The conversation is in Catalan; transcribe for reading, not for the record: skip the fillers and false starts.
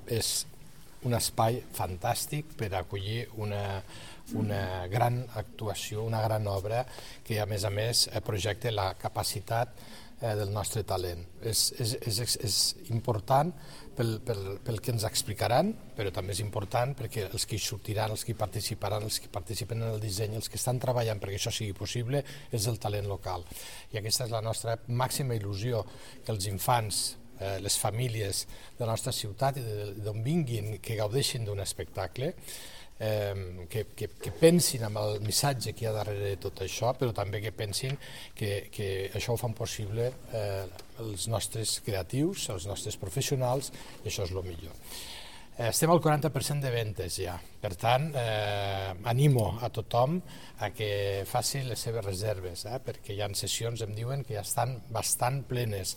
és un espai fantàstic per acollir una gran actuació, una gran obra que a més projecta la capacitat del nostre talent. És important pel que ens explicaran, però també és important perquè els que hi sortiran, els que hi participaran, els que participen en el disseny, els que estan treballant perquè això sigui possible, és el talent local. I aquesta és la nostra màxima il·lusió, que els infants, les famílies de la nostra ciutat i d'on vinguin, que gaudeixin d'un espectacle, que pensin en el missatge que hi ha darrere de tot això, però també que pensin que això ho fan possible els nostres creatius, els nostres professionals, i això és el millor. Estem al 40% de ventes ja, per tant animo a tothom a que faci les seves reserves, perquè hi ha sessions, em diuen, que ja estan bastant plenes.